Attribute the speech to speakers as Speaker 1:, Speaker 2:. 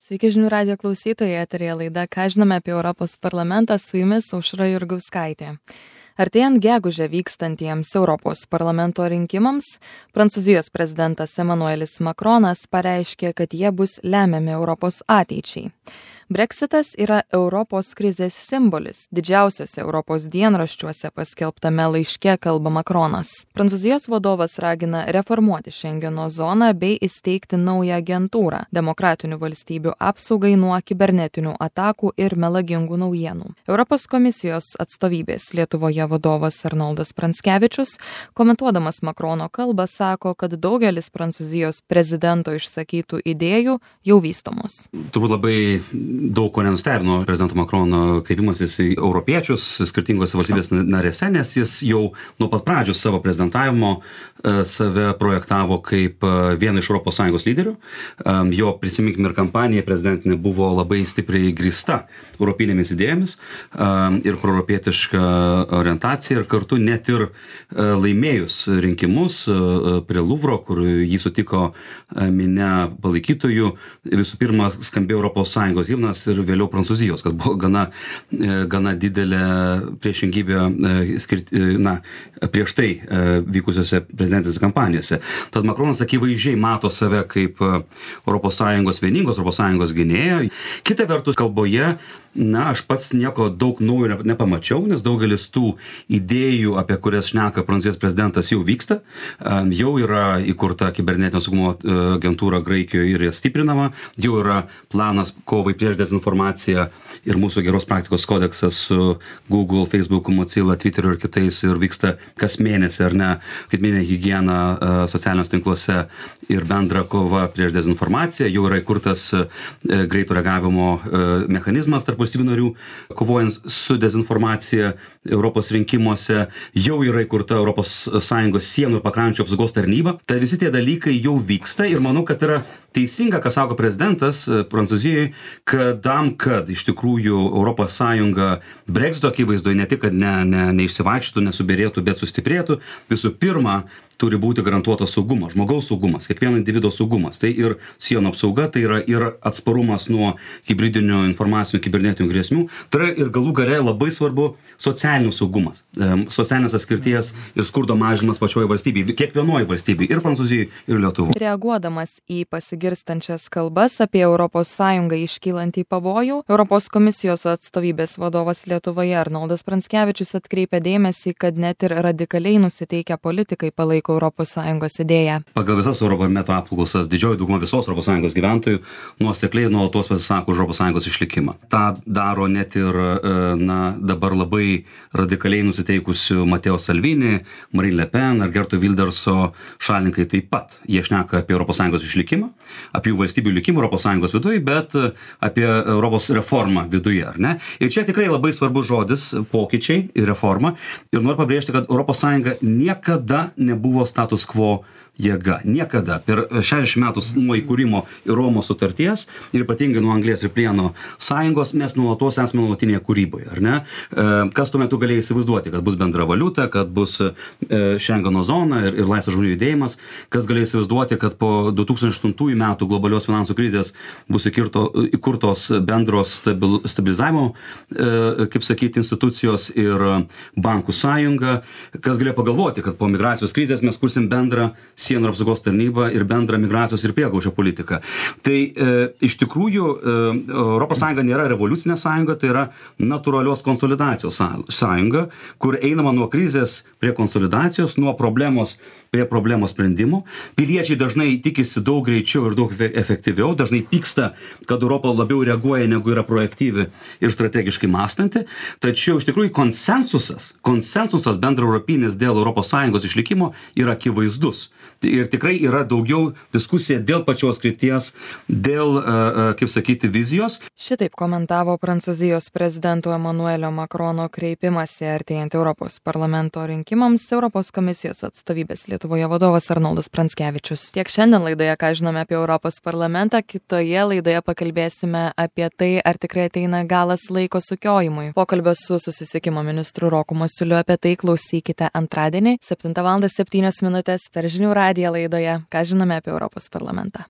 Speaker 1: Sveiki žinių radijo klausytojai, eteryje laida Ką žinome apie Europos parlamentą, su jumis Aušra Jurgauskaitė. Artėjant gegužę vykstantiems Europos parlamento rinkimams, Prancūzijos prezidentas Emmanuelis Macronas pareiškė, kad jie bus lemiami Europos ateičiai. Brexitas yra Europos krizės simbolis. Didžiausiuose Europos dienraščiuose paskelbtame laiške kalba Macronas. Prancūzijos vadovas ragina reformuoti Šengeno zoną bei įsteigti naują agentūrą demokratinių valstybių apsaugai nuo kibernetinių atakų ir melagingų naujienų. Europos komisijos atstovybės Lietuvoje vadovas Arnoldas Pranckevičius, komentuodamas Macrono kalbą, sako, kad daugelis Prancūzijos prezidento išsakytų idėjų jau vystomos.
Speaker 2: Turbūt labai daug ko nenustebino prezidento Macrono kreipimasis į europiečius skirtingose valstybės narėse, nes jis jau nuo pat pradžių savo prezidentavimo save projektavo kaip vieną iš ES lyderių. Jo, prisiminkime, ir kampanija prezidentinė buvo labai stipriai grįsta europinėmis idėjomis ir proeuropietiška orientacija, ir kartu net ir laimėjus rinkimus prie Luvro, kur jį sutiko minia palaikytojų, visų pirma skambėjo ES himnas ir vėliau Prancūzijos, kas buvo gana didelė priešingybė prieš tai vykusiose prezidentinėse kampanijose. Tad Macronas akivaizdžiai mato save kaip vieningos ES gynėją. Kita vertus, kalboje, aš pats nieko daug naujo nepamačiau, nes daugelis tų idėjų, apie kurias šneka Prancūzijos prezidentas, jau vyksta. Jau yra įkurta kibernetinio saugumo agentūra Graikijoje ir stiprinama. Jau yra planas kovai prieš dezinformaciją ir mūsų geros praktikos kodeksas su Google, Facebook, Mozilla, Twitteriu ir kitais, ir vyksta kas mėnesį, ar ne, skaitmeninė higiena socialiniuose tinkluose ir bendra kova prieš dezinformaciją. Jau yra įkurtas greito reagavimo mechanizmas tarp valstybių narių, kovojant su dezinformacija Europos rinkimuose. Jau yra įkurta ES sienų ir pakrančių apsaugos tarnyba. Tai visi tie dalykai jau vyksta ir manau, kad yra teisinga, ką sako prezidentas Prancūzijoje, kad iš tikrųjų ES Brexito akivaizdoje ne tik, kad neišsivaikščytų, nesubyrėtų, bet sustiprėtų. Visų pirma, turi būti garantuotas saugumas, žmogaus saugumas, kiekvieno individo saugumas. Tai ir sienų apsauga, tai yra ir atsparumas nuo hibridinių informacinių, kibernetinių grėsmių. Tai yra ir galų gale labai svarbu socialinis saugumas, socialinės atskirties ir skurdo mažinimas pačioje valstybėje, kiekvienoje valstybėje, ir Prancūzijoje, ir Lietuvoje.
Speaker 1: Reaguodamas į pasigirstančias kalbas apie ES iškylantį pavojų, Europos komisijos atstovybės vadovas Lietuvoje Arnoldas Pranckevičius atkreipė dėmesį, kad net ir radikaliai nusiteikę politikai palaiko ES idėją.
Speaker 2: Pagal visas Eurobarometro apklausas didžioji dauguma visos ES gyventojų nuosekliai nuolatos pasisako už ES išlikimą. Ta daro net ir dabar labai radikaliai nusiteikusių Mateo Salvini, Marine Le Pen ar Gerto Wilderso šalininkai taip pat. Jie šneka apie ES išlikimą, apie jų valstybių likimą ES viduje, bet apie Europos reformą viduje, ar ne? Ir čia tikrai labai svarbus žodis pokyčiai ir reforma. Ir noriu pabrėžti, kad ES niekada nebuvo status quo jėga. Niekada. Per 60 metų nuo įkūrimo ir Romos sutarties, ir ypatingai nuo Anglės ir Plieno sąjungos, mes nuolatos esame nuolatinėje kūryboje, ar ne? Kas tuo metu galėjo įsivaizduoti, kad bus bendra valiuta, kad bus Šengeno zona ir laisvas žmonių judėjimas, kas galėjo įsivaizduoti, kad po 2008 metų globalios finansų krizės bus įkurtos bendros stabilizavimo, kaip sakyti, institucijos ir bankų sąjunga, kas galėjo pagalvoti, kad po migracijos krizės mes kursim bendrą sienų apsaugos tarnybą ir bendrą migracijos ir prieglobsčio politiką. Tai iš tikrųjų ES nėra revoliucinė sąjunga, tai yra natūralios konsolidacijos sąjunga, kur einama nuo krizės prie konsolidacijos, nuo problemos prie problemos sprendimo. Piliečiai dažnai tikisi daug greičiau ir daug efektyviau, dažnai pyksta, kad Europa labiau reaguoja, negu yra proaktyvi ir strategiškai mąstanti. Tačiau iš tikrųjų konsensusas bendraeuropinis dėl ES išlikimo yra akivaizdus. Ir tikrai yra daugiau diskusija dėl pačios krypties, dėl, kaip sakyti, vizijos.
Speaker 1: Šitaip komentavo Prancūzijos prezidento Emmanuelio Macrono kreipimąsi artėjant Europos parlamento rinkimams Europos komisijos atstovybės Lietuvoje vadovas Arnoldas Pranckevičius. Tiek šiandien laidoje, ką žinome apie Europos parlamentą, kitoje laidoje pakalbėsime apie tai, ar tikrai ateina galas laiko sukiojimui. Pokalbio su susisiekimo ministru Roku Masiuliu apie tai klausykite antradienį 7:07 per Žinių radiją laidoje, ką žinome apie Europos parlamentą.